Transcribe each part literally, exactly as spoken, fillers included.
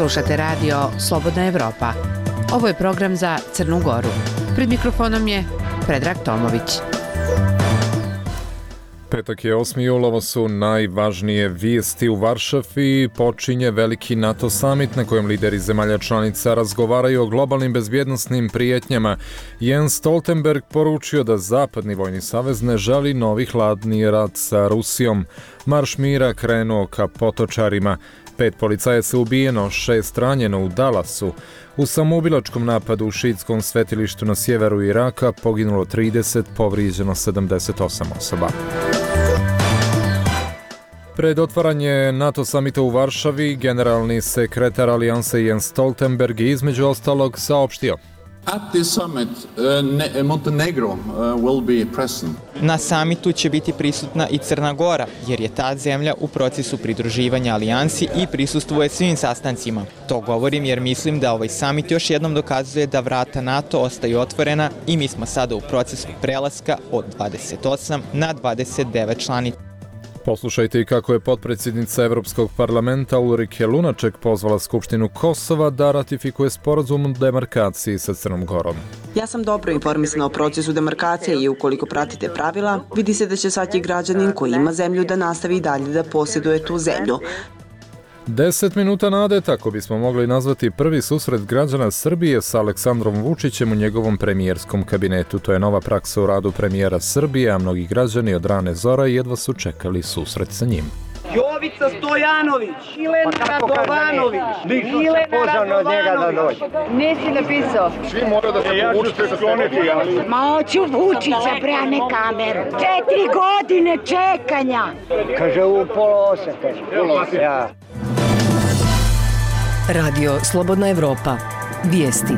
Slušate radio Slobodna Evropa. Ovo je program za Crnu Goru. Pred mikrofonom je Predrag Tomović. Petak je osmi jul, ovo su najvažnije vijesti u Varšavi. Počinje veliki NATO summit na kojem lideri zemalja članica razgovaraju o globalnim bezbjednosnim prijetnjama. Jens Stoltenberg poručio da Zapadni vojni savez ne želi novi hladni rat sa Rusijom. Marš mira krenuo ka Potočarima. Pet policajaca ubijeno, šest ranjeno u Dallasu. U samoubilačkom napadu u šiitskom svetilištu na sjeveru Iraka poginulo trideset, povrijeđeno sedamdeset osam osoba. Pred otvaranje NATO samita u Varšavi, generalni sekretar Alijanse Jens Stoltenberg je između ostalog saopštio: At this summit, uh, Montenegro uh, will be present. Na samitu će biti prisutna i Crna Gora, jer je ta zemlja u procesu pridruživanja alijansi i prisustvuje svim sastancima. To govorim jer mislim da ovaj samit još jednom dokazuje da vrata NATO ostaju otvorena i mi smo sada u procesu prelaska od dvadeset osam na dvadeset devet članica. Poslušajte i kako je potpredsjednica Evropskog parlamenta Ulrike Lunaček pozvala Skupštinu Kosova da ratifikuje sporazum o demarkaciji sa Crnom Gorom. Ja sam dobro informisana o procesu demarkacije i ukoliko pratite pravila, vidi se da će svaki građanin koji ima zemlju da nastavi i dalje da posjeduje tu zemlju. Deset minuta nade, tako bismo mogli nazvati prvi susret građana Srbije sa Aleksandrom Vučićem u njegovom premijerskom kabinetu. To je nova praksa u radu premijera Srbije, a mnogi građani od rane zore jedva su čekali susret sa njim. Jovica Stojanović, Milena Radovanović, Milena Radovanović. Nisi napisao. Svi moraju da se povučete skloniti. Ma hoću Vučića, bre, a ne kameru. Četiri godine čekanja. Kaže u pola osete. Ja. Radio Slobodna Evropa. Vijesti.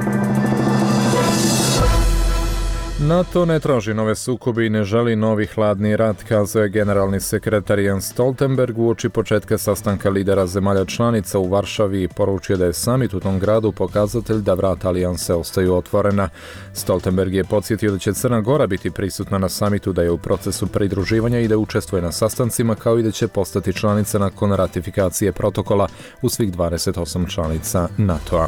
NATO ne traži nove sukobe i ne želi novi hladni rat, kazao je generalni sekretar Jens Stoltenberg uoči početka sastanka lidera zemalja članica u Varšavi i poručio da je samit u tom gradu pokazatelj da vrata alijanse ostaju otvorena. Stoltenberg je podsjetio da će Crna Gora biti prisutna na samitu, da je u procesu pridruživanja i da učestvuje na sastancima, kao i da će postati članica nakon ratifikacije protokola u svih dvadeset osam članica NATO-a.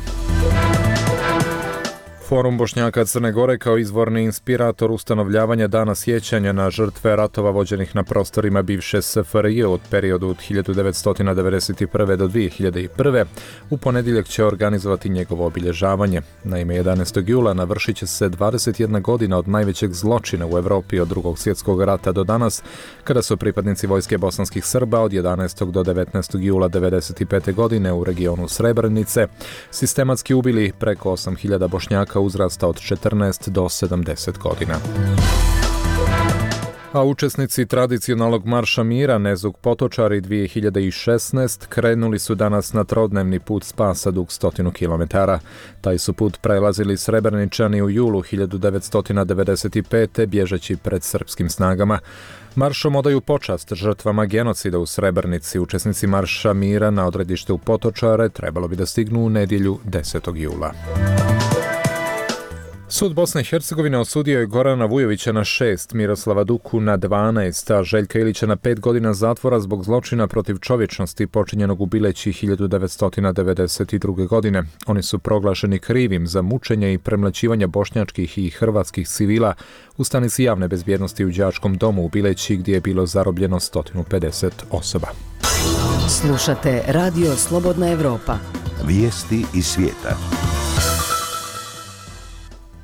Forum Bošnjaka Crne Gore kao izvorni inspirator ustanovljavanja dana sjećanja na žrtve ratova vođenih na prostorima bivše S F R J od periodu od hiljadu devetsto devedeset prve do dvije hiljade prve. u ponedjeljak će organizovati njegovo obilježavanje. Naime, jedanaestog jula navršit će se dvadeset jedna godina od najvećeg zločina u Evropi od drugog svjetskog rata do danas, kada su pripadnici vojske bosanskih Srba od jedanaestog do devetnaestog jula devedeset pete godine u regionu Srebrenice sistematski ubili preko osam hiljada Bošnjaka uzrasta od četrnaest do sedamdeset godina. A učesnici tradicionalnog marša mira Nezug Potočari dvije hiljade šesnaeste krenuli su danas na trodnevni put spasa dug stotinu kilometara. Taj su put prelazili Srebreničani u julu hiljadu devetsto devedeset pete bježeći pred srpskim snagama. Maršom odaju počast žrtvama genocida u Srebrenici. Učesnici marša mira na odredište u Potočare trebalo bi da stignu u nedjelju desetog jula. Sud Bosne i Hercegovine osudio je Gorana Vujovića na šest, Miroslava Duku na dvanaest, a Željka Ilića na pet godina zatvora zbog zločina protiv čovječnosti počinjenog u Bileći hiljadu devetsto devedeset druge. godine. Oni su proglašeni krivim za mučenje i premlaćivanje bošnjačkih i hrvatskih civila u stanici javne bezbjednosti u đačkom domu u Bileći, gdje je bilo zarobljeno sto pedeset osoba. Slušate Radio Slobodna Evropa. Vijesti iz svijeta.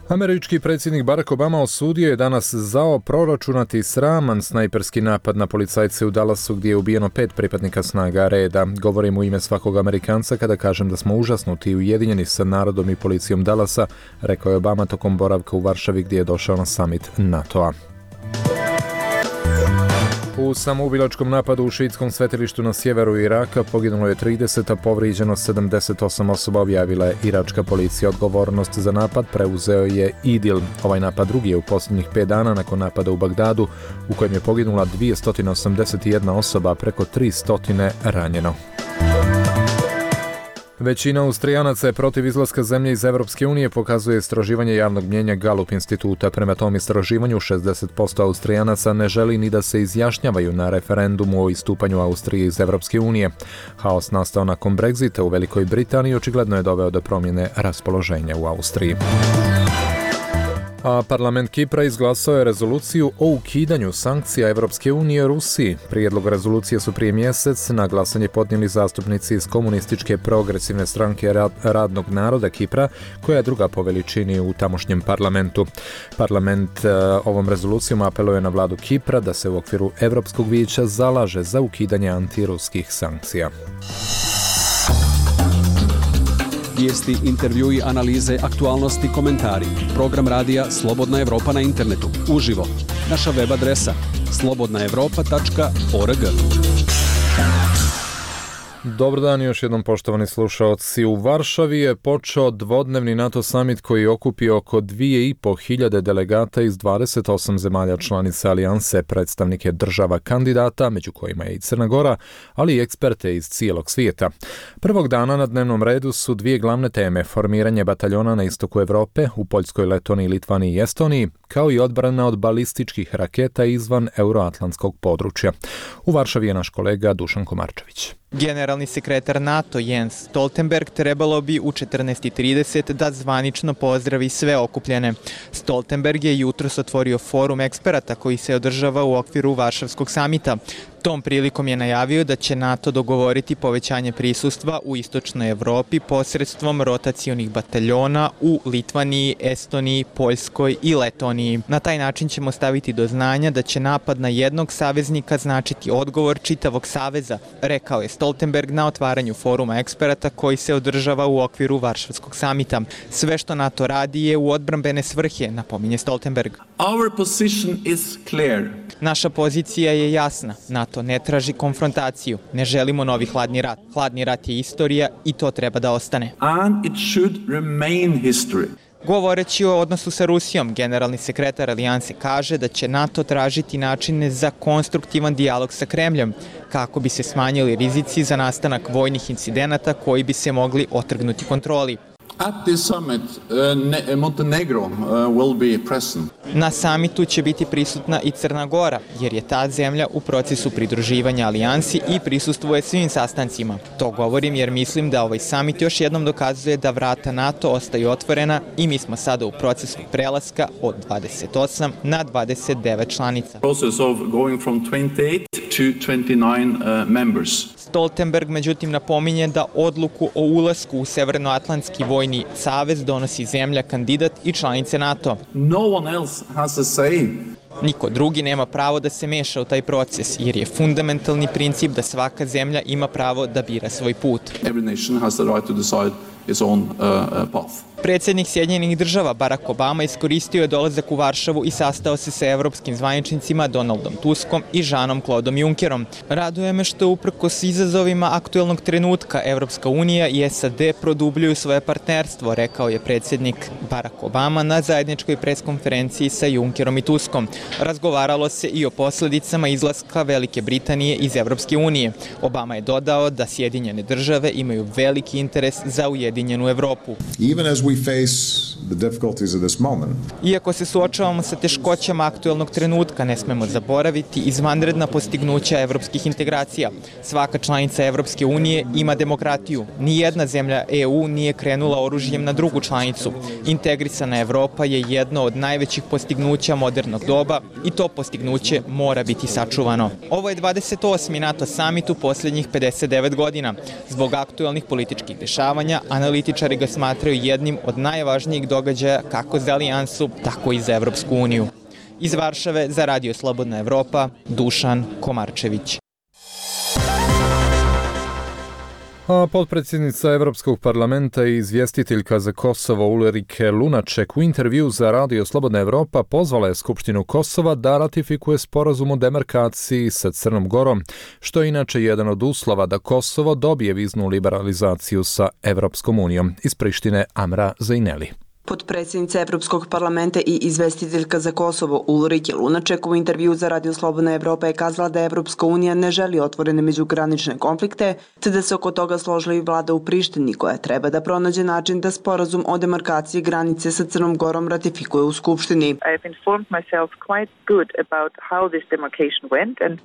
Američki predsjednik Barack Obama osudio je danas zao proračunati sraman snajperski napad na policajce u Dallasu, gdje je ubijeno pet pripadnika snaga reda. Govorim u ime svakog Amerikanca kada kažem da smo užasnuti i ujedinjeni sa narodom i policijom Dallasa, rekao je Obama tokom boravka u Varšavi, gdje je došao na summit NATO-a. U samoubilačkom napadu u šiitskom svetilištu na sjeveru Iraka poginulo je trideset, a povrijeđeno sedamdeset osam osoba, objavila je iračka policija. Odgovornost za napad preuzeo je IDIL. Ovaj napad drugi je u posljednjih pet dana nakon napada u Bagdadu, u kojem je poginula dvjesto osamdeset jedna osoba, a preko tristo ranjeno. Većina Austrijanaca je protiv izlaska zemlje iz Evropske unije, pokazuje istraživanje javnog mnjenja Gallup instituta. Prema tom istraživanju šezdeset posto Austrijanaca ne želi ni da se izjašnjavaju na referendumu o istupanju Austrije iz Evropske unije. Haos nastao nakon Brexita u Velikoj Britaniji očigledno je doveo do promjene raspoloženja u Austriji. A parlament Kipra izglasao je rezoluciju o ukidanju sankcija Evropske unije Rusiji. Prijedlog rezolucije su prije mjesec na glasanje podnijeli zastupnici iz komunističke progresivne stranke radnog naroda Kipra, koja je druga po veličini u tamošnjem parlamentu. Parlament e, ovom rezolucijom apeluje na vladu Kipra da se u okviru Europskog vijeća zalaže za ukidanje antiruskih sankcija. Vijesti, intervjui, analize, aktualnosti, komentari. Program radija Slobodna Evropa na internetu. Uživo. Naša web adresa slobodna evropa tačka org. Dobar dan još jednom, poštovani slušaoci. U Varšavi je počeo dvodnevni NATO summit koji je okupio oko dvije i po hiljade delegata iz dvadeset osam zemalja članica alijanse, predstavnike država kandidata, među kojima je i Crna Gora, ali i eksperte iz cijelog svijeta. Prvog dana na dnevnom redu su dvije glavne teme: formiranje bataljona na istoku Europe, u Poljskoj, Letoniji, Litvaniji i Estoniji, kao i odbrana od balističkih raketa izvan euroatlantskog područja. U Varšavi je naš kolega Dušan Komarčević. Generalni sekretar NATO Jens Stoltenberg trebalo bi u četrnaest i trideset da zvanično pozdravi sve okupljene. Stoltenberg je jutros otvorio forum eksperata koji se održava u okviru Varšavskog samita. Tom prilikom je najavio da će NATO dogovoriti povećanje prisustva u istočnoj Evropi posredstvom rotacionih bataljona u Litvaniji, Estoniji, Poljskoj i Letoniji. Na taj način ćemo staviti do znanja da će napad na jednog saveznika značiti odgovor čitavog saveza, rekao je Stoltenberg na otvaranju foruma eksperata koji se održava u okviru Varšavskog samita. Sve što NATO radi je u odbrambene svrhe, napominje Stoltenberg. Our position is clear. Naša pozicija je jasna. NATO ne traži konfrontaciju. Ne želimo novi hladni rat. Hladni rat je istorija i to treba da ostane. And it should remain history. Govoreći o odnosu sa Rusijom, generalni sekretar alijanse kaže da će NATO tražiti načine za konstruktivan dijalog sa Kremljom, kako bi se smanjili rizici za nastanak vojnih incidenata koji bi se mogli otrgnuti kontroli. At this summit, uh, Montenegro uh, will be present. Na samitu će biti prisutna i Crna Gora, jer je ta zemlja u procesu pridruživanja alijansi i prisustvuje svim sastancima. To govorim jer mislim da ovaj samit još jednom dokazuje da vrata NATO ostaju otvorena i mi smo sada u procesu prelaska od dvadeset osam na dvadeset devet članica. Process of going from twenty-eight to twenty-nine uh, members. Stoltenberg međutim napominje da odluku o ulasku u Severnoatlantski vojni savez donosi zemlja kandidat i članice NATO. No one else has a say. Niko drugi nema pravo da se meša u taj proces, jer je fundamentalni princip da svaka zemlja ima pravo da bira svoj put. Every nation has the right to decide its own uh, path. Predsjednik Sjedinjenih država Barack Obama iskoristio je dolazak u Varšavu i sastao se sa evropskim zvaničnicima Donaldom Tuskom i Jeanom-Claudom Junckerom. Raduje me što uprkos izazovima aktuelnog trenutka Evropska unija i S A D produbljuju svoje partnerstvo, rekao je predsjednik Barack Obama na zajedničkoj preskonferenciji sa Junckerom i Tuskom. Razgovaralo se i o posljedicama izlaska Velike Britanije iz Evropske unije. Obama je dodao da Sjedinjene države imaju veliki interes za ujedinjenu Evropu. Even as we face the difficulties of this moment. Iako se suočavamo sa teškoćama aktuelnog trenutka, ne smemo zaboraviti izvanredna postignuća evropskih integracija. Svaka članica Evropske unije ima demokratiju. Nijedna zemlja E U nije krenula oružjem na drugu članicu. Integrisana Evropa je jedno od najvećih postignuća modernog doba i to postignuće mora biti sačuvano. Ovo je dvadeset osmi NATO summit u posljednjih pedeset devet godina. Zbog aktuelnih političkih dešavanja, analitičari ga smatraju jednim od najvažnijih događaja kako za alijansu, tako i za Evropsku uniju. Iz Varšave za Radio Slobodna Evropa, Dušan Komarčević. A potpredsjednica Europskog parlamenta i izvjestiteljka za Kosovo Ulrike Lunaček u intervju za Radio Slobodna Evropa pozvala je Skupštinu Kosova da ratifikuje sporazum o demarkaciji sa Crnom Gorom, što je inače jedan od uslova da Kosovo dobije viznu liberalizaciju sa Evropskom unijom. Iz Prištine Amra Zajneli. Potpredsjednica Evropskog parlamenta i izvestiteljka za Kosovo Ulrike Lunaček u intervju za Radio Slobodna Evropa je kazala da Evropska unija ne želi otvorene međugranične konflikte, te da se oko toga složila i vlada u Prištini koja treba da pronađe način da sporazum o demarkaciji granice sa Crnom Gorom ratifikuje u Skupštini.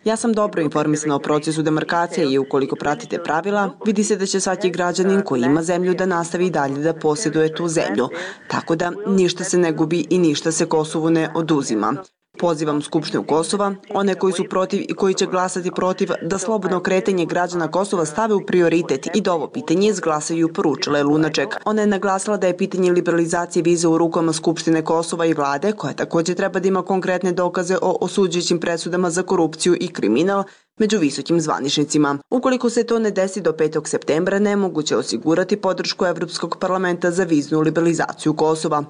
Ja sam dobro informisana o procesu demarkacije i ukoliko pratite pravila, vidi se da će svaki građanin koji ima zemlju da nastavi dalje da posjeduje tu zemlju. Tako da ništa se ne gubi i ništa se Kosovu ne oduzima. Pozivam Skupštinu Kosova, one koji su protiv i koji će glasati protiv, da slobodno kretanje građana Kosova stave u prioritet i da ovo pitanje izglasaju, poručila je Lunaček. Ona je naglasila da je pitanje liberalizacije vize u rukama Skupštine Kosova i vlade, koja također treba da ima konkretne dokaze o osuđujućim presudama za korupciju i kriminal među visokim zvaničnicima. Ukoliko se to ne desi do petog septembra, nemoguće je osigurati podršku Evropskog parlamenta za viznu liberalizaciju Kosova.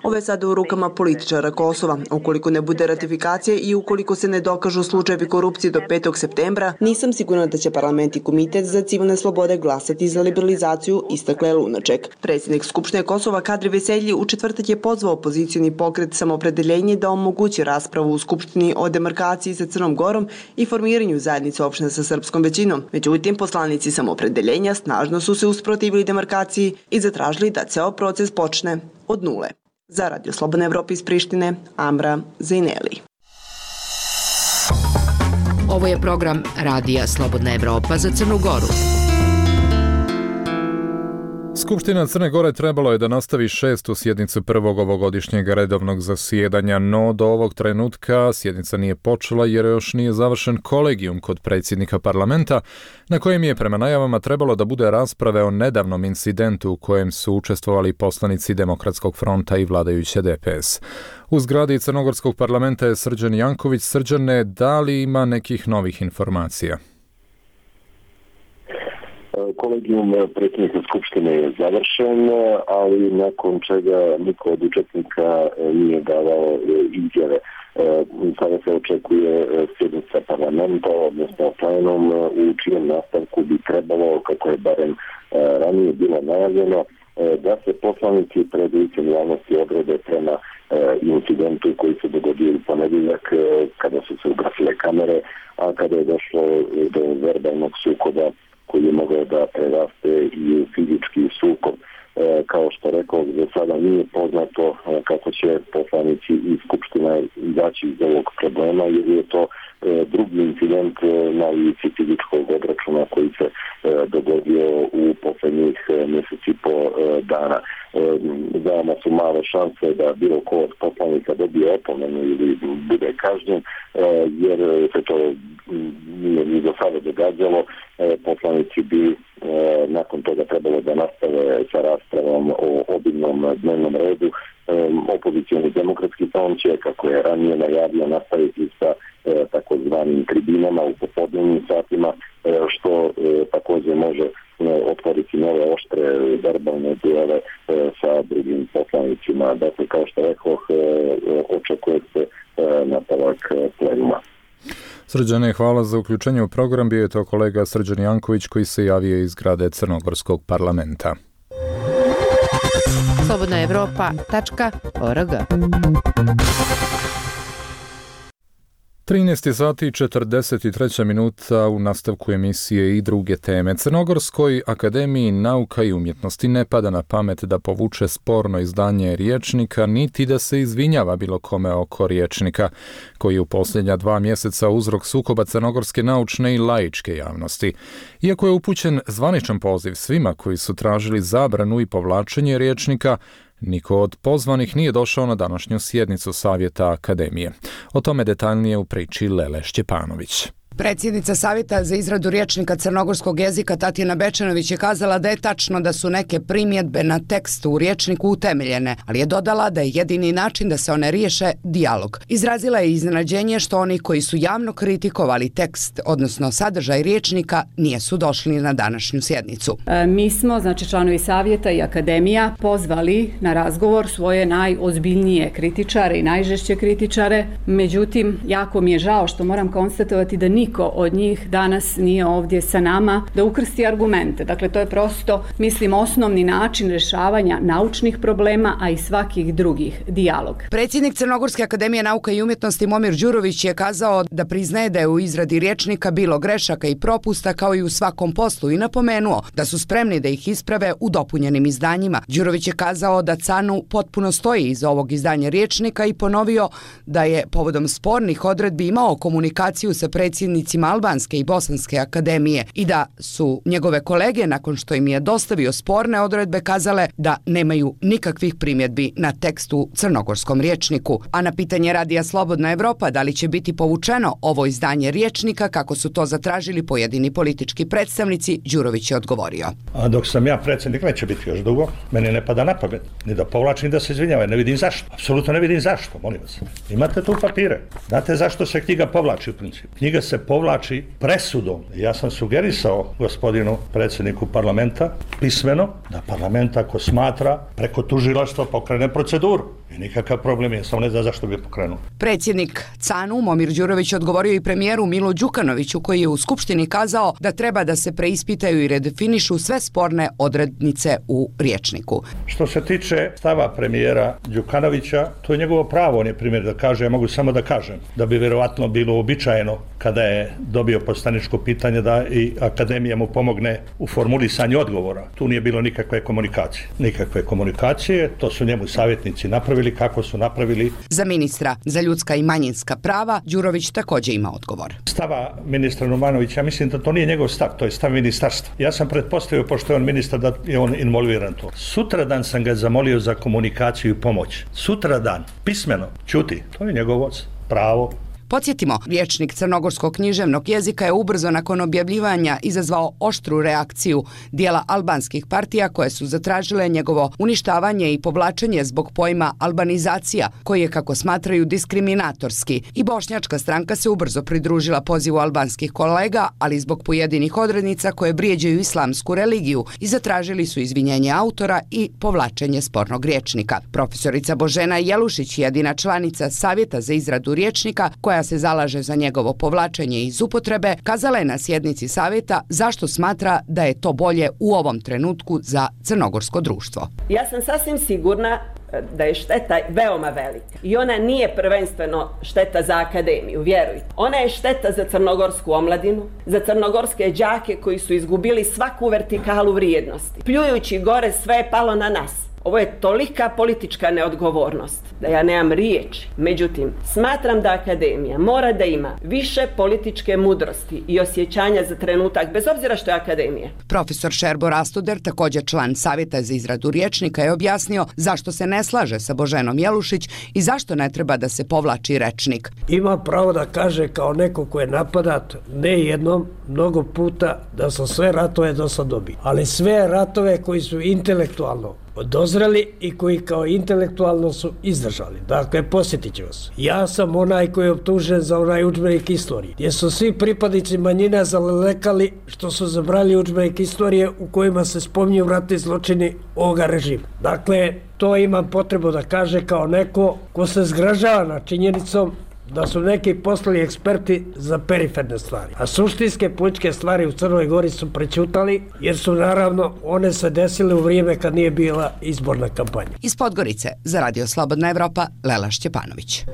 Ovo je sada u rukama političara Kosova. Ukoliko ne bude ratifikacije i ukoliko se ne dokažu slučajevi korupcije do petog septembra, nisam sigurna da će parlament i komitet za civilne slobode glasati za liberalizaciju, istakla je Lunaček. Predsjednik Skupštine Kosova Kadri Veselji u četvrtak je pozvao opozicioni pokret Samopredeljenje da omogući raspravu u Skupštini o demarkaciji sa Crnom Gorom i formiranju zajednice opština sa srpskom većinom. Međutim, poslanici Samopredeljenja snažno su se usprotivili demarkaciji i zatražili da ceo proces počne od nule. Za Radio Slobodna Evropa iz Prištine, Amra Zajneli. Ovo je program Radija Slobodna Evropa za Crnu Goru. Skupština Crne Gore trebalo je da nastavi šestu sjednicu prvog ovogodišnjeg redovnog zasjedanja, no do ovog trenutka sjednica nije počela jer još nije završen kolegijum kod predsjednika parlamenta, na kojem je prema najavama trebalo da bude rasprave o nedavnom incidentu u kojem su učestvovali poslanici Demokratskog fronta i vladajuće D P S. U zgradi Crnogorskog parlamenta je Srđan Janković. Srđane, da li ima nekih novih informacija? Kolegijum predsjednika Skupštine je završen, ali nakon čega niko od učesnika nije davao izjave. Sada se očekuje sjednica parlamenta, odnosno plenum, u čijem nastavku bi trebalo, kako je barem ranije bilo najavljeno, da se poslanici pred licem javnosti odrede prema incidentu koji se dogodio u ponedjeljak kada su se ugasile kamere, a kada je došlo do verbalnog sukoba koji je mogao da preraste i u fizički sukob. E, kao što rekao, za sada nije poznato e, kako će poslanici iz Skupština izaći iz ovog problema, jer je to e, drugi incident e, na lici fizičkog obračuna koji se e, dogodio u posljednjih e, mjeseci po e, dana. E, veoma su male šanse da bilo ko od poslanika dobije opomenu ili bude kažnjen, e, jer se to nije ni do sada događalo. E, poslanici bi e, nakon toga trebalo da nastave sa raspravom o obilnom dnevnom redu. E, opozicioni demokratski front će, kako je ranije najavio, nastaviti sa e, takozvanim tribinama u popodnevnim satima, e, što e, također može e, otvoriti nove oštre verbalne duele e, sa drugim poslanicima. Dakle, kao što rekoh, e, očekuje se e, nastavak plenuma. Srđane, hvala za uključenje u program. Bio je to kolega Srđan Janković koji se javio iz zgrade Crnogorskog parlamenta. slobodna evropa tačka org. trinaest sati i četrdeset treća minuta u nastavku emisije i druge teme. Crnogorskoj akademiji nauka i umjetnosti ne pada na pamet da povuče sporno izdanje Riječnika, niti da se izvinjava bilo kome oko Riječnika, koji je u posljednja dva mjeseca uzrok sukoba crnogorske naučne i laičke javnosti. Iako je upućen zvaničan poziv svima koji su tražili zabranu i povlačenje Riječnika, niko od pozvanih nije došao na današnju sjednicu Savjeta Akademije. O tome detaljnije u priči Lele Šćepanović. Predsjednica Savjeta za izradu rječnika crnogorskog jezika Tatjana Bečanović je kazala da je tačno da su neke primjedbe na tekst u rječniku utemeljene, ali je dodala da je jedini način da se one riješe dijalog. Izrazila je iznenađenje što oni koji su javno kritikovali tekst, odnosno sadržaj rječnika, nijesu došli na današnju sjednicu. E, mi smo, znači članovi Savjeta i Akademija, pozvali na razgovor svoje najozbiljnije kritičare i najžešće kritičare. Međutim, jako mi je žao što moram konstatovati da niko niko od njih danas nije ovdje sa nama da ukrsti argumente. Dakle, to je prosto, mislim, osnovni način rješavanja naučnih problema, a i svakih drugih, dijalog. Predsjednik Crnogorske akademije nauka i umjetnosti Momir Đurović je kazao da priznaje da je u izradi rječnika bilo grešaka i propusta kao i u svakom poslu i napomenuo da su spremni da ih isprave u dopunjenim izdanjima. Đurović je kazao da C A N U potpuno stoji iza ovog izdanja rječnika i ponovio da je povodom spornih odredbi imao komunikaciju sa predsjednicima Albanske i Bosanske akademije i da su njegove kolege nakon što im je dostavio sporne odredbe kazale da nemaju nikakvih primjedbi na tekst u crnogorskom rječniku. A na pitanje Radija Slobodna Evropa da li će biti povučeno ovo izdanje rječnika kako su to zatražili pojedini politički predstavnici, Đurović je odgovorio. A dok sam ja predsjednik neće biti još dugo, meni ne pada na pamet ni da povlačim da se izvinjava, ne vidim zašto. Apsolutno ne vidim zašto, molim vas. Imate tu papire. Znate zašto se knjiga povlači u principu? Knjiga se povlači presudom. Ja sam sugerisao gospodinu predsjedniku parlamenta pismeno da parlament ako smatra preko tužilaštva pokrene proceduru. I nikakav problem je, samo ne zna zašto bi pokrenuo. Predsjednik C A N U Momir Đurović odgovorio i premijeru Milu Đukanoviću koji je u Skupštini kazao da treba da se preispitaju i redefinišu sve sporne odrednice u rječniku. Što se tiče stava premijera Đukanovića, to je njegovo pravo, on je primjer da kaže, ja mogu samo da kažem, da bi vjerovatno bilo uobičajeno kada je dobio poslaničko pitanje da i akademija mu pomogne u formulisanju odgovora. Tu nije bilo nikakve komunikacije. Nikakve komunikacije, to su njemu savjetnici napravili kako su napravili. Za ministra za ljudska i manjinska prava Đurović također ima odgovor. Stava ministra Numanovića, ja mislim da to nije njegov stav, to je stav ministarstva. Ja sam pretpostavio, pošto je on ministar, da je on involviran to. Sutradan sam ga zamolio za komunikaciju i pomoć. Sutradan, pismeno, čuti, to je njegovo pravo. Podsjetimo, rječnik crnogorskog književnog jezika je ubrzo nakon objavljivanja izazvao oštru reakciju dijela albanskih partija koje su zatražile njegovo uništavanje i povlačenje zbog pojma albanizacija, koji je, kako smatraju, diskriminatorski. I bošnjačka stranka se ubrzo pridružila pozivu albanskih kolega, ali zbog pojedinih odrednica koje vrijeđaju islamsku religiju i zatražili su izvinjenje autora i povlačenje spornog rječnika. Profesorica Božena Jelušić, jedina članica Savjeta za izradu rječnika, koja se zalaže za njegovo povlačenje iz upotrebe, kazala je na sjednici savjeta zašto smatra da je to bolje u ovom trenutku za crnogorsko društvo. Ja sam sasvim sigurna da je šteta veoma velika i ona nije prvenstveno šteta za akademiju, vjerujte. Ona je šteta za crnogorsku omladinu, za crnogorske đake koji su izgubili svaku vertikalu vrijednosti. Pljujući gore sve je palo na nas. Ovo je tolika politička neodgovornost da ja nemam riječi. Međutim, smatram da akademija mora da ima više političke mudrosti i osjećanja za trenutak, bez obzira što je akademija. Profesor Šerbo Rastuder, također član Savjeta za izradu rječnika, je objasnio zašto se ne slaže sa Boženom Jelušić i zašto ne treba da se povlači rečnik. Ima pravo da kaže kao neko ko je napadat, ne jednom, mnogo puta, da su sve ratove do sad dobili. Ali sve ratove koji su intelektualno dozreli i koji kao intelektualno su izdržali. Dakle, posjetit ću vas. Ja sam onaj koji je optužen za onaj udžbenik istorije, gdje su svi pripadnici manjina zalekali što su zabrali udžbenik istorije u kojima se spominju ratni zločini ovoga režima. Dakle, to imam potrebu da kaže kao neko ko se zgražava na činjenicom da su neki poslali eksperti za periferne stvari. A suštinske političke stvari u Crnoj Gori su prećutali, jer su naravno one se desile u vrijeme kad nije bila izborna kampanja. Iz Podgorice za Radio Slobodna Evropa, Lela Šćepanović.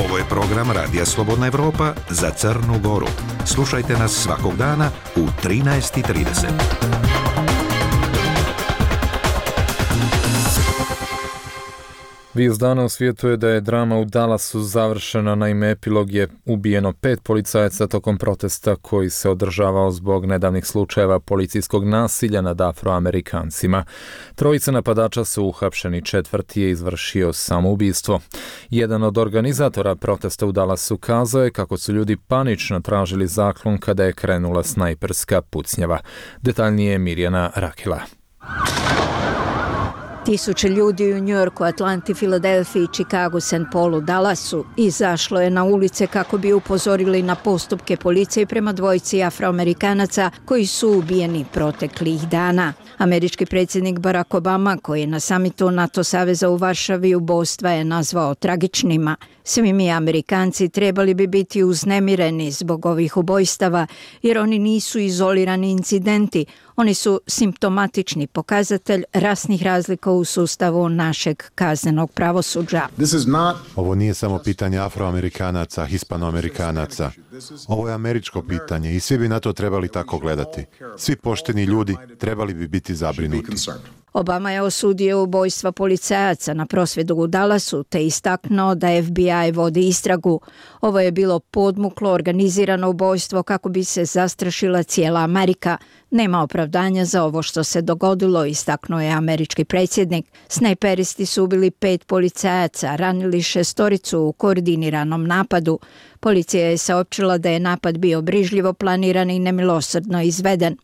Ovo je program Radija Slobodna Evropa za Crnu Goru. Slušajte nas svakog dana u trinaest i trideset. Vijest dana u svijetu je da je drama u Dallasu završena, naime epilog je ubijeno pet policajaca tokom protesta koji se održavao zbog nedavnih slučajeva policijskog nasilja nad Afroamerikancima. Trojica napadača su uhapšeni, četvrti je izvršio samoubistvo. Jedan od organizatora protesta u Dallasu kazao je kako su ljudi panično tražili zaklon kada je krenula snajperska pucnjava. Detaljnije Mirjana Rakela. Tisuće ljudi u Njujorku, Atlanti, Filadelfiji, Čikagu, Saint Paulu, Dallasu izašlo je na ulice kako bi upozorili na postupke policije prema dvojici Afroamerikanaca koji su ubijeni proteklih dana. Američki predsjednik Barack Obama, koji je na samitu NATO saveza u Varšavi ubojstva je nazvao tragičnima. Svi mi Amerikanci trebali bi biti uznemireni zbog ovih ubojstava, jer oni nisu izolirani incidenti, oni su simptomatični pokazatelj rasnih razlika u sustavu našeg kaznenog pravosuđa. Ovo nije samo pitanje Afroamerikanaca, Hispanoamerikanaca. Ovo je američko pitanje i svi bi na to trebali tako gledati. Svi pošteni ljudi trebali bi biti zabrinuti. Obama je osudio ubojstva policajaca na prosvjedu u Dallasu te istaknuo da F B I vodi istragu. Ovo je bilo podmuklo organizirano ubojstvo kako bi se zastrašila cijela Amerika. Nema opravdanja za ovo što se dogodilo, istaknuo je američki predsjednik. Snajperisti su ubili pet policajaca, ranili šestoricu u koordiniranom napadu. Policija je saopćila da je napad bio brižljivo planiran i nemilosrdno izveden.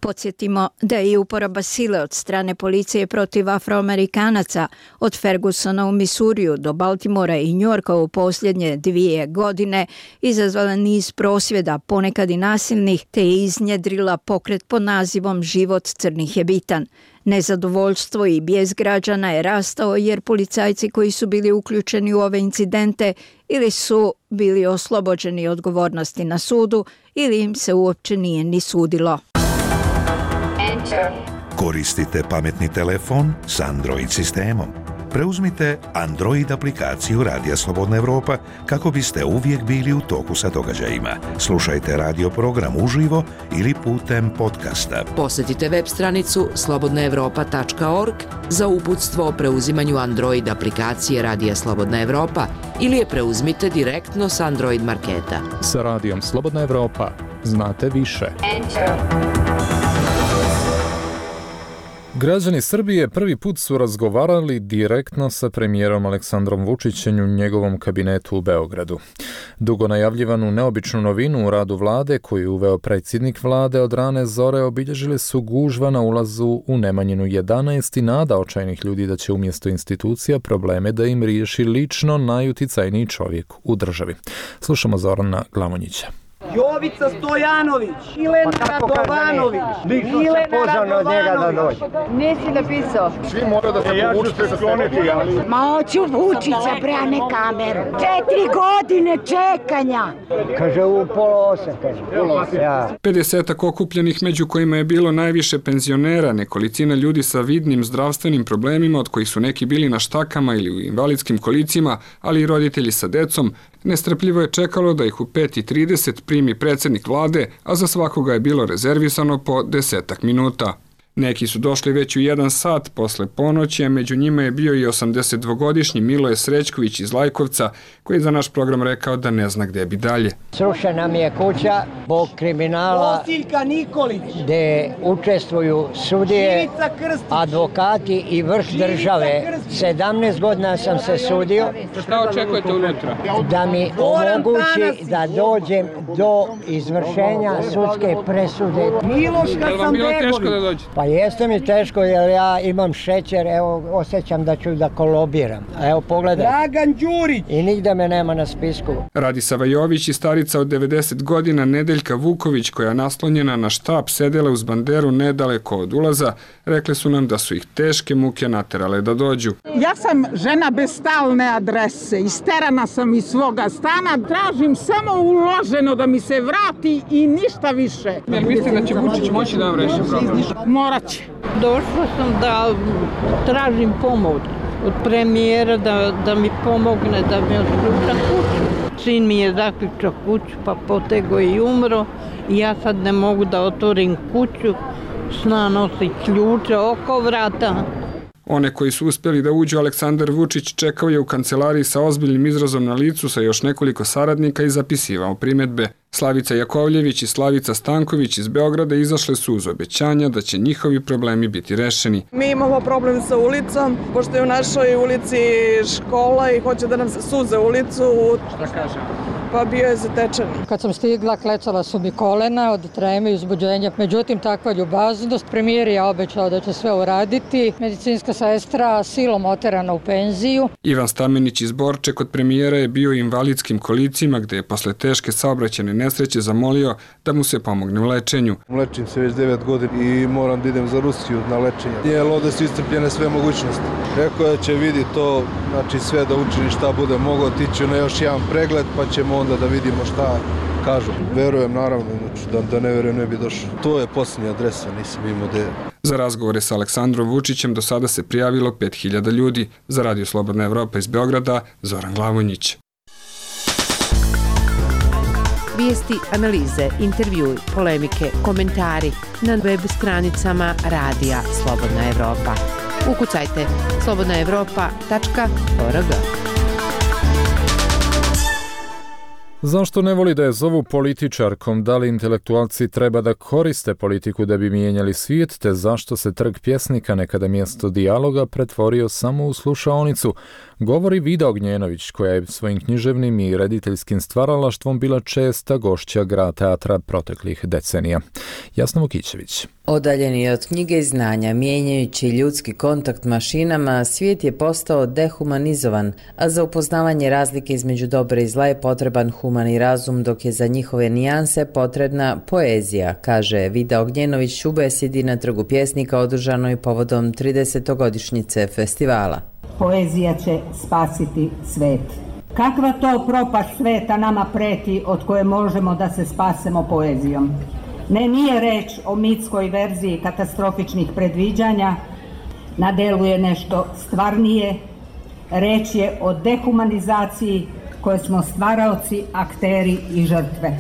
Podsjetimo da je i uporaba sile od strane policije protiv Afroamerikanaca od Fergusona u Misuriju do Baltimora i Njujorka u posljednje dvije godine izazvala niz prosvjeda, ponekad i nasilnih, te je iznjedrila pokret pod nazivom Život crnih je bitan. Nezadovoljstvo i bijes građana je rastao jer policajci koji su bili uključeni u ove incidente ili su bili oslobođeni odgovornosti na sudu ili im se uopće nije ni sudilo. Koristite pametni telefon s Android sistemom. Preuzmite Android aplikaciju Radija Slobodna Evropa kako biste uvijek bili u toku sa događajima. Slušajte radio program uživo ili putem podcasta. Posjetite web stranicu slobodna evropa tačka org za uputstvo o preuzimanju Android aplikacije Radija Slobodna Evropa ili je preuzmite direktno s Android marketa. Sa Radijom Slobodna Evropa znate više. Enter. Građani Srbije prvi put su razgovarali direktno sa premijerom Aleksandrom Vučićem u njegovom kabinetu u Beogradu. Dugo najavljivanu neobičnu novinu u radu vlade koju je uveo predsjednik vlade od rane zore obilježile su gužva na ulazu u Nemanjinu jedanaest i nada očajnih ljudi da će umjesto institucija probleme da im riješi lično najuticajniji čovjek u državi. Slušamo Zorana Glamonjića. Jovica Stojanović, Ilen Radovanović, Ilen Radovanović. Nisi napisao? Svi mora da se povučete skloniti, ali... Ma hoću Vučića, bre, a ne kameru. Četiri godine čekanja. Kaže u pola osam, kaže. Ja. pedesetak okupljenih među kojima je bilo najviše penzionera, nekolicina ljudi sa vidnim zdravstvenim problemima od kojih su neki bili na štakama ili u invalidskim kolicima, ali i roditelji sa decom, nestrpljivo je čekalo da ih u pet i trideset primi predsjednik vlade, a za svakoga je bilo rezervisano po desetak minuta. Neki su došli već u jedan sat posle ponoći, a među njima je bio i osamdesetdvogodišnji Miloje Srećković iz Lajkovca, koji je za naš program rekao da ne zna gdje bi dalje. Srušena mi je kuća zbog kriminala gdje učestvuju sudije, advokati i vrh države. sedamnaest godina sam se sudio. Šta očekujete unutra? Da mi omogući da dođem do izvršenja sudske presude. Je li vam bilo teško da dođete? Pa jeste mi teško jer ja imam šećer, evo osjećam da ću da kolobiram. Evo pogledaj. Dragan Đurić! I nigde me nema na spisku. Radisava Jović i starica od devedeset godina Nedeljka Vuković, koja naslonjena na štap sedela uz banderu nedaleko od ulaza, rekli su nam da su ih teške muke naterale da dođu. Ja sam žena bez stalne adrese, isterana sam iz svoga stana, tražim samo uloženo da mi se vrati i ništa više. Jel mislite da će Vučić moći da vam reši problem? Morat će. Došla sam da tražim pomoć od premijera da, da mi pomogne da mi otključa kuću. Sin mi je zaključao kuću pa potego i umro i ja sad ne mogu da otvorim kuću, sna nosi ključe oko vrata. One koji su uspjeli da uđu Aleksandar Vučić čekao je u kancelariji sa ozbiljnim izrazom na licu sa još nekoliko saradnika i zapisivao primjedbe. Slavica Jakovljević i Slavica Stanković iz Beograda izašle su uz obećanja da će njihovi problemi biti rešeni. Mi imamo problem sa ulicom, pošto je u našoj ulici škola i hoće da nam se suze ulicu. Šta kaže? pa bio je zatečen. Kad sam stigla, klecala su mi kolena od treme i uzbuđenja. Međutim, takva ljubaznost. Premijer je obećao da će sve uraditi. Medicinska sestra silom oterana u penziju. Ivan Stamenić iz Borče kod premijera je bio u invalidskim kolicima gde je posle teške saobraćajne nesreće zamolio da mu se pomogne u lečenju. Lečim se već devet godina i moram da idem za Rusiju na lečenje. Jer ovde su iscrpljene sve mogućnosti. Rekao da će vidi to, znači sve da učini šta bude mogao, tiću na još jedan pregled pa ćemo onda da vidimo šta kažu. Verujem naravno, znači, da, da ne verujem ne bi došao. To je posljednja adresa, nisam imao da je. Za razgovore sa Aleksandrom Vučićem do sada se prijavilo pet hiljada ljudi. Za Radio Slobodna Evropa iz Beograda, Zoran Glavonjić. Vijesti, analize, intervjui, polemike, komentari na web stranicama Radija Slobodna Evropa. Ukucajte slobodna evropa tačka org. Zašto ne voli da je zovu političarkom? Da li intelektualci treba da koriste politiku da bi mijenjali svijet, te zašto se trg pjesnika nekada mjesto dijaloga pretvorio samo u slušaonicu? Govori Vida Ognjenović, koja je svojim književnim i rediteljskim stvaralaštvom bila česta gošća Grad teatra proteklih decenija. Jasna Vukićević. Odaljeni od knjige i znanja, mijenjajući ljudski kontakt mašinama, svijet je postao dehumanizovan, a za upoznavanje razlike između dobra i zla je potreban humani razum, dok je za njihove nijanse potrebna poezija, kaže Vida Ognjenović u besedi na Trgu pjesnika održanoj povodom tridesetogodišnjice festivala. Poezija će spasiti svet. Kakva to propast sveta nama preti od koje možemo da se spasemo poezijom? Ne, nije reč o mitskoj verziji katastrofičnih predviđanja, na delu je nešto stvarnije, reč je o dehumanizaciji koje smo stvaraoci, akteri i žrtve.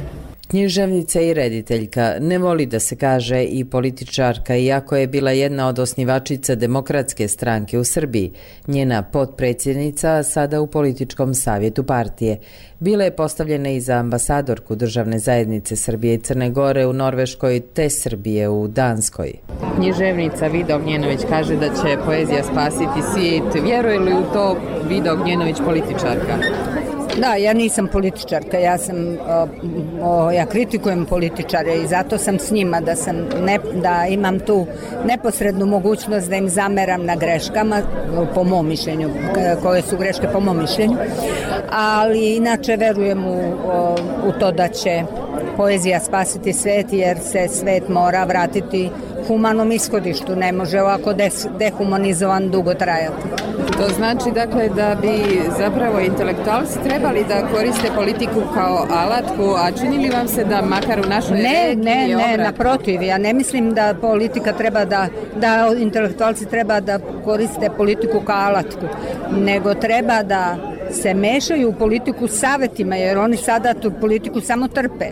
Književnica i rediteljka, ne voli da se kaže i političarka, iako je bila jedna od osnivačica Demokratske stranke u Srbiji, njena potpredsjednica, sada u političkom savjetu partije. Bila je postavljena i za ambasadorku državne zajednice Srbije i Crne Gore u Norveškoj te Srbije u Danskoj. Književnica Vida Ognjenović kaže da će poezija spasiti svijet. Vjeruje li u to Vida Ognjenović, političarka? Da, ja nisam političarka, ja sam, o, o, ja kritikujem političare i zato sam s njima, da, sam ne, da imam tu neposrednu mogućnost da im zameram na greškama, po mom mišljenju, koje su greške po mom mišljenju, ali inače verujem u, o, u to da će poezija spasiti svet, jer se svet mora vratiti humanom ishodištu, ne može ovako des, dehumanizovan dugo trajati. To znači dakle da bi zapravo intelektualci trebali da koriste politiku kao alatku, a čini li vam se da makar u našoj Ne, ne, ne, naprotiv, ja ne mislim da politika treba da, da intelektualci treba da koriste politiku kao alatku, nego treba da se mešaju u politiku savjetima, jer oni sada tu politiku samo trpe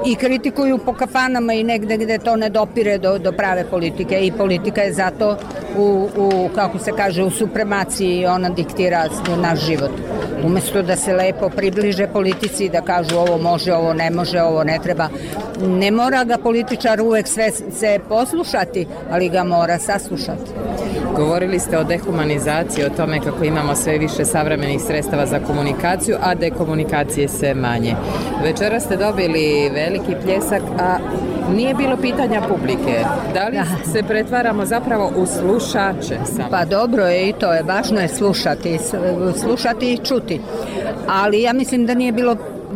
i kritikuju po kafanama i negde gde to ne dopire do, do prave politike, i politika je zato u, u, kako se kaže, u supremaciji, ona diktira naš život. Umesto da se lepo približe politici i da kažu ovo može, ovo ne može, ovo ne treba. Ne mora ga političar uvek sve se poslušati, ali ga mora saslušati. Govorili ste o dehumanizaciji, o tome kako imamo sve više savremenih sredstava za komunikaciju, a dekomunikacije sve manje. Večera ste dobili veliki pljesak, a nije bilo pitanja publike. Da li se pretvaramo zapravo u slušače samo? Pa dobro je i to je, važno je slušati, slušati i čuti. Ali ja mislim da nije bilo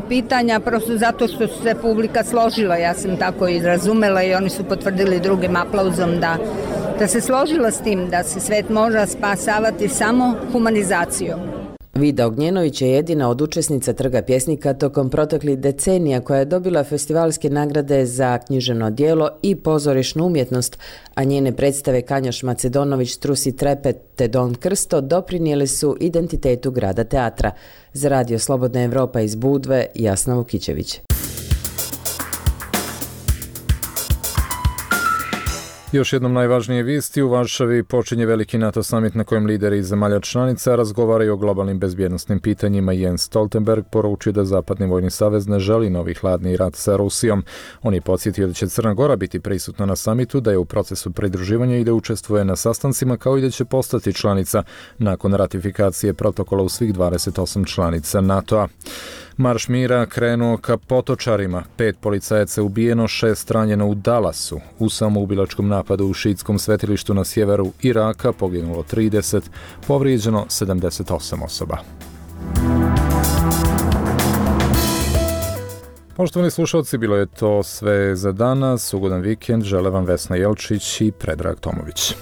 pitanja, prosto zato što su se publika složila, ja sam tako i razumela i oni su potvrdili drugim aplauzom da da se složila s tim da se svet može spasavati samo humanizacijom. Vida Ognjenović je jedina od učesnica Trga pjesnika tokom proteklih decenija koja je dobila festivalske nagrade za književno djelo i pozorišnu umjetnost, a njene predstave Kanjoš Macedonović, Trusi trepet te Don Krsto doprinijeli su identitetu Grada teatra. Za Radio Slobodna Evropa iz Budve, Jasna Vukićević. Još jednom najvažnije vijesti, u Varšavi počinje veliki NATO summit na kojem lideri iz zemalja članica razgovaraju o globalnim bezbjednosnim pitanjima. Jens Stoltenberg poručio da Zapadni vojni savez ne želi novi hladni rat sa Rusijom. On je podsjetio da će Crna Gora biti prisutna na summitu, da je u procesu pridruživanja i da učestvuje na sastancima, kao i da će postati članica nakon ratifikacije protokola u svih dvadeset osam članica NATO-a. Marš mira krenuo ka Potočarima. Pet policajaca ubijeno, šest ranjeno u Dallasu. U samoubilačkom napadu u šiitskom svetilištu na sjeveru Iraka poginulo trideset, povrijeđeno sedamdeset osam osoba. Poštovani slušalci, bilo je to sve za danas. Ugodan vikend, žele vam Vesna Jelčić i Predrag Tomović.